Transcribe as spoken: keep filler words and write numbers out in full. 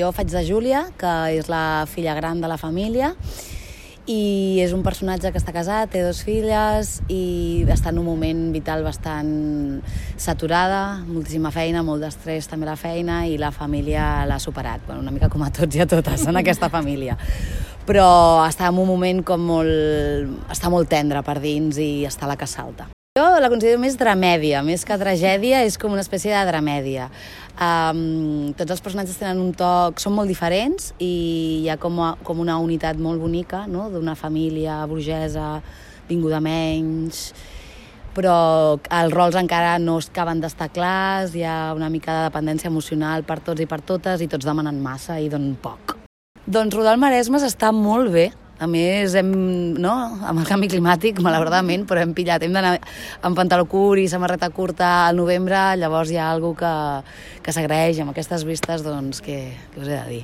Jo faig de Júlia, que és la filla gran de la família, i és un personatge que està casat, té dues filles i està en un moment vital bastant saturada, moltíssima feina, molt d'estrès també la feina, i la família l'ha superat, bueno, una mica com a tots i a totes en aquesta família. Però està en un moment com molt... està molt tendre per dins i està la que salta. Jo la considero més dramèdia, més que tragèdia, és com una espècie de dramèdia. Um, tots els personatges tenen un toc, són molt diferents i hi ha com, a, com una unitat molt bonica, no? D'una família burgesa, vinguda menys, però els rols encara no acaben d'estar clars, hi ha una mica de dependència emocional per tots i per totes i tots demanen massa i donen poc. Doncs rodar al Maresme està molt bé. A més, hem, no, amb el canvi climàtic, malauradament, però hem pillat, hem d'anar amb pantaló curt i samarreta curta al novembre, llavors hi ha alguna cosa que, que s'agraeix amb aquestes vistes, doncs, que, que us he de dir.